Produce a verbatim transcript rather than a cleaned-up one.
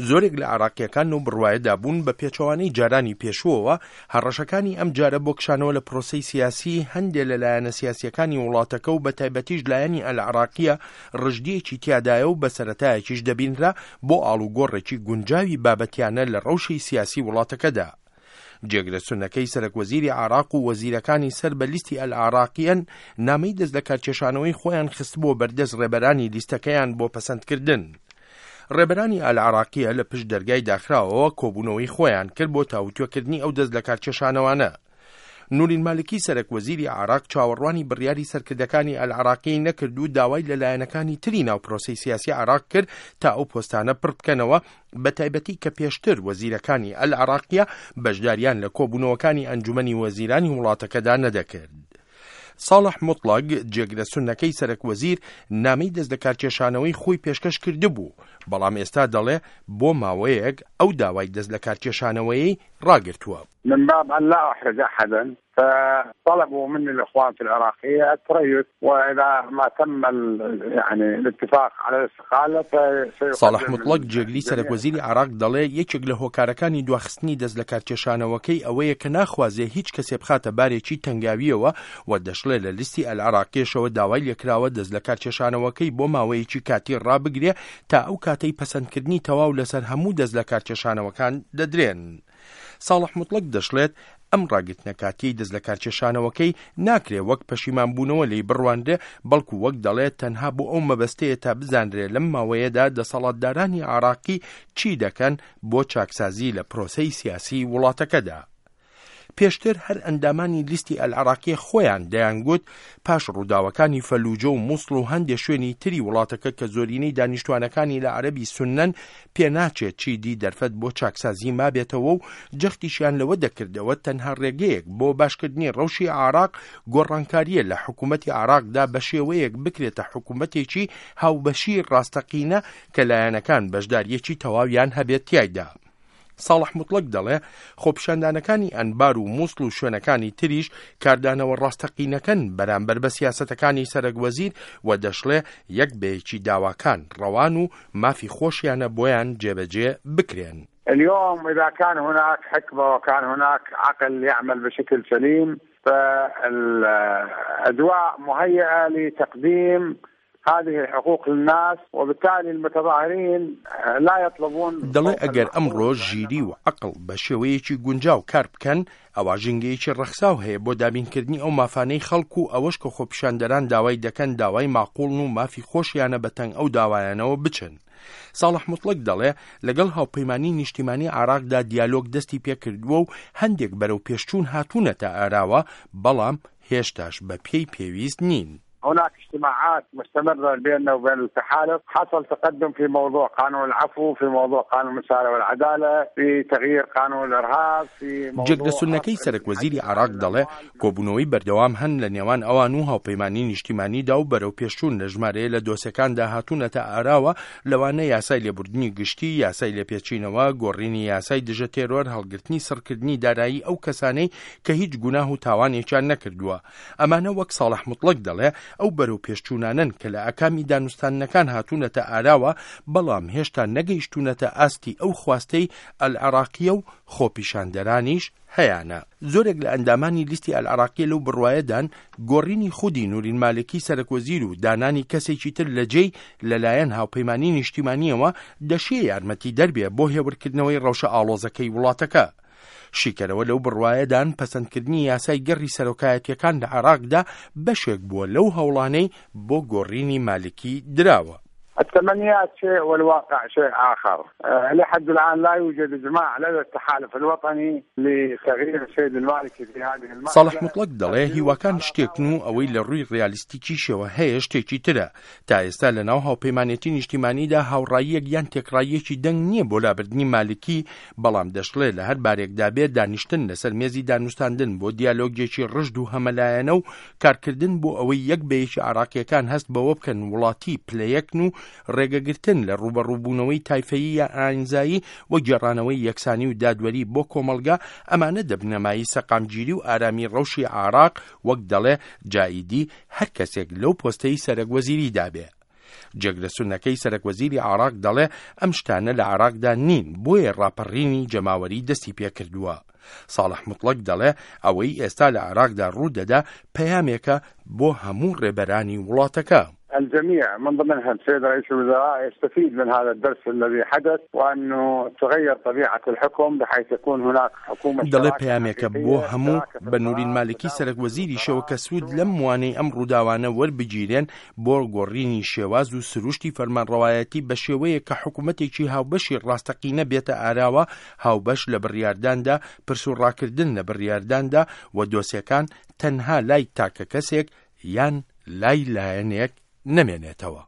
زۆرێک لە عێراقییەکان لەو بڕوایەدا بوون بە پێچەوانەی جارانی پێشووەوە، هەڕەشەکانی ئەم جارە بۆ کشانەوە لە پرۆسەی سیاسی هەندێ لە لایەنە سیاسییەکانی وڵاتەکە و بەتایبەتیش لایەنی ئەلعێراقییە ڕژدییەکی تیادایە و بە سەرەتایەکیش دەبینرا بۆ ئاڵوگۆڕێکی گونجاوی بابەتیانە لە ڕەوشی سیاسی وڵاتەکەدا. جێگرە سوننەکەی سەرەکوەزیری عێراق و وەزیرەکانی سەر بە لیستی ئەلعێراقییەن نامەی دەستلەکارکێشانەوەی خۆیان خستبووە بەردەست ڕێبەرانی لیستەکەیان بۆ پەسەندکردن. ڕێبەرانی ئەلعێراقییە لە پشت دەرگای داخراوەوە کۆبوونەوەی خۆیان کرد بۆ تاوتوێکردنی ئەو دەستلەکارکێشانەوانە. نورین مالکی سەرەک وەزیری عێراق چاوەڕوانی بڕیاری سەرکردەکانی ئەلعێراقی نەکرد و داوای لە لایەنەکانی تری ناو پرۆسەی سیاسی عێراق کرد تا ئەو پۆستانە پڕ بکەنەوە، بە تایبەتی کە پێشتر وەزیرەکانی ئەلعێراقیە بەشداریان لە کۆبوونەوەکانی ئەنجومەنی وەزیرانی وڵاتەکەدا نەدەکرد. ساڵح موتڵەگ جێگرە سوننەکەی سەرەک وەزیر نامەی دەستلەکارکێشانەوەی خۆی پێشکەش کردبوو، بەڵام ئێستا دەڵێ بۆ ماوەیەک ئەو داوای دەستلەکارکێشانەوەیەی ڕاگرتووە. من باب أن لا أحرج أحدا فطلبوا مني الإخوان في العراقية التريث، وإذا ما تم يعني الاتفاق على الاستقالة. ساڵح موتڵەگ جێگری سەرەک وەزیری عێراق دەڵێ یەکێک لە هۆکارەکانی دواخستنی دەستلەکارکێشانەوەکەی ئەوەیە کە ناخوازێ هیچ کەسێ بخاتە بارێکی تەنگاویەوە و دەشڵێ لە لیستی ئەلعێراقیەشەوە داوای لێکراوە دەستلەکارکێشانەوەکەی بۆ ماوەیەکی کاتی ڕابگرێ تا ئەو کاتەی پەسەندکردنی تەواو لەسەر هەموو دەستلەکارکێشانەوەکان دەدرێن. ساڵح موتڵەگ دەشڵێت ئەم ڕاگرتنە کاتیەی دەستلەکارکێشانەوەکەی ناکرێ وەک پەشیمانبوونەوە لێی بڕوانرێ، بەڵکو وەک دەڵێت تەنها بۆ ئەو مەبەستەیە تا بزانرێ لەم ماوەیەدا دەسەڵاتدارانی عێراقی چی دەکەن بۆ چاکسازی لە پرۆسەی سیاسی وڵاتەکەدا. پێشتر هەر ئەندامانی لیستی ئەلعێراقیە خۆیان دەیانگوت پاش ڕووداوەکانی فەلوجە و موسڵ و هەندێک شوێنی تری وڵاتەکە کە زۆرینەی دانیشتوانەکانی لە عەرەبی سوننەن پێناچێت چیدی دەرفەت بۆ چاکسازی مابێتەوە و جەختیشیان لەوە دەکردەوە تەنها ڕێگەیەک بۆ باشکردنی ڕەوشی عێراق گۆڕانکاریە لە حکوومەتی عێراقدا بە شێوەیەک بکرێتە حکوومەتێکی هاوبەشی ڕاستەقینە کە لایەنەکان بەشداریەکی تەواویان هەبێت تیایدا. ساڵح موتڵەگ دەڵێ خۆپیشاندانەکانی ئەنبار و موسڵ و شوێنەکانی تریش کاردانەوە ڕاستەقینەکەن بەرامبەر بە سیاسەتەکانی سەرەک وەزیر و دەشڵێ یەک بەیەکی داواکان ڕەوان و مافی خۆشیانە بۆیان جێبەجێ بکرێن. اليوم إذا كان هناك حكمة وكان هناك عقل يعمل بشكل سليم فالأجواء مهيئة لتقديم هذه الحقوق للناس، وبالتالي المتظاهرين لا يطلبون. دەڵێ ئەگەر ئەمڕۆ ژیری و عەقڵ بە شێوەیەکی گونجاو کار بکەن ئەوە ژینگەیەکی ڕەخساو هەیە بۆ دابینکردنی ئەو مافانەی خەڵک و ئەوەش کە خۆپیشاندەران داوای دەکەن داوای ماقوڵن و مافی خۆشیانە بەتەنگ ئەو داوایانەوە بچن. ساڵح موتڵەگ دەڵێ لەگەڵ هاوپەیمانی نیشتیمانی عێراقدا دیالۆگ دەستی پێکردووە و هەندێک بەرەو پێشچوون هاتوونەتە ئاراوە، بەڵام هێشتاش بە پێی پێویست نین. هناك اجتماعات مستمرة بيننا وبين التحالف، حصل تقدم في موضوع قانون العفو، في موضوع قانون المساءلة والعدالة، في تغيير قانون الإرهاب، في موضوع جێگرە سوننەکەی سەرەک وەزیری عێراق دەڵێ کۆبوونەوەی بەردەوام هەن لە نێوان ئەوان و هاوپەیمانی نیشتیمانیدا و بەرەو پێشچوون لە ژمارەیە لە دۆسەکاندا هاتوونەتە ئاراوە، لەوانە یاسای لێبوردنی گشتی، یاسای لێپێچینەوە، گۆڕینی یاسای دژە تێرۆر، هەڵگرتنی سڕکردنی دارایی ئەو کەسانەی کە هیچ گوناه و تاوانێکیان نەکردووە. ئەمانە وەک ساڵح موتڵەگ دەڵێ ئەو بەرەو پێشچوونانەن کە لە ئاکامی دانوستاندنەکان هاتوونەتە ئاراوە، بەڵام هێشتا نەگەیشتوونەتە ئاستی ئەو خواستەی ئەلعێراقیە و خۆپیشاندەرانیش هەیانە. زۆرێک لە ئەندامانی لیستی ئەلعێراقیە لەو بڕوایەدان گۆڕینی خودی نورین مالکی سەرەک وەزیر و دانانی کەسێکی تر لە جێی لەلایەن هاوپەیمانی نیشتیمانیەوە دەشێ یارمەتی دەربێ بۆ هێورکردنەوەی ڕەوشە ئاڵۆزەکەی وڵاتەکە. شیکەرەوە لەو بڕوایەدان پەسەندکردنی یاسای گەڕی سەرۆکایەتیەکان لە عێراقدا بەشێک بووە لەو هەوڵانەی بۆ گۆڕینی مالکی دراوە. التمنيات شيء والواقع شيء آخر. لحد الآن لا يوجد إجماع لدى التحالف الوطني لتغيير السيد المالكي في هذه المرحلة. ساڵح موتڵەگ دەڵێ هیواکان شتێکن و ئەوەی لە ڕووی ڕیالیستیکیشەوە هەیە شتێکی ترە. تا ئێستا لە ناو هاوپەیمانێتی نیشتیمانیدا هاوڕاییەک یان تێکڕاییەکی دەنگ نییە بۆ لابردنی مالکی، بەڵام دەشڵێ لە هەر بارێکدا بێت دانیشتن لەسەر مێزی دانوستاندن بۆ دیالۆگێکی ڕژد و هەمەلایەنە و کارکردن بۆ ئەوەی یەک بە یەکی عێراقیەکان هەست بەوە بکەن وڵاتی پلەیەکن و ڕێگەگرتن لە ڕووبەڕووبوونەوەی تایفەیی یا ئاینزایی و گێڕانەوەی یەکسانی و دادوەری بۆ کۆمەڵگا، ئەمانە دەبنەمایی سەقامگیری و ئارامی ڕەوشی عێراق، وەک دەڵێ جائیدی هەر کەسێک لەو پۆستەی سەرەک وەزیریدا بێ. جێگرە سوننەکەی سەرەکوەزیری عێراق دەڵێ ئەم شتانە لە عێراقدا نین، بۆیە ڕاپەڕینی جەماوەری دەستی پێکردووە. ساڵح موتڵەگ دەڵێ ئەوەی ئێستا لە عێراقدا ڕوودەدا پەیامێکە بۆ هەموو ڕێبەرانی وڵاتەکە. الجميع من ضمنهم السيد رئيس الوزراء يستفيد من هذا الدرس الذي حدث، وأنه تغير طبيعة الحكم بحيث يكون هناك حكومة دەڵێ پەیامێکە بۆ هەموو بە نوری مالکی سەرەک وەزیریشەوە کە سوود لەم وانەی ئەم ڕووداوانە وەربگیرێن بۆ گۆڕینی شێواز و سروشتی فەرمانڕەوایەتی بە شێوەیەک کە حکوومەتێکی هاوبەشی ڕاستەقینە بێتە ئاراوە، هاوبەش لە بڕیارداندا، پرس و ڕاکردن لە بڕیارداندا و دۆسیەکان تەنها لای تاکە کەسێک یان لای لایەنێک نەمێنێتەوە.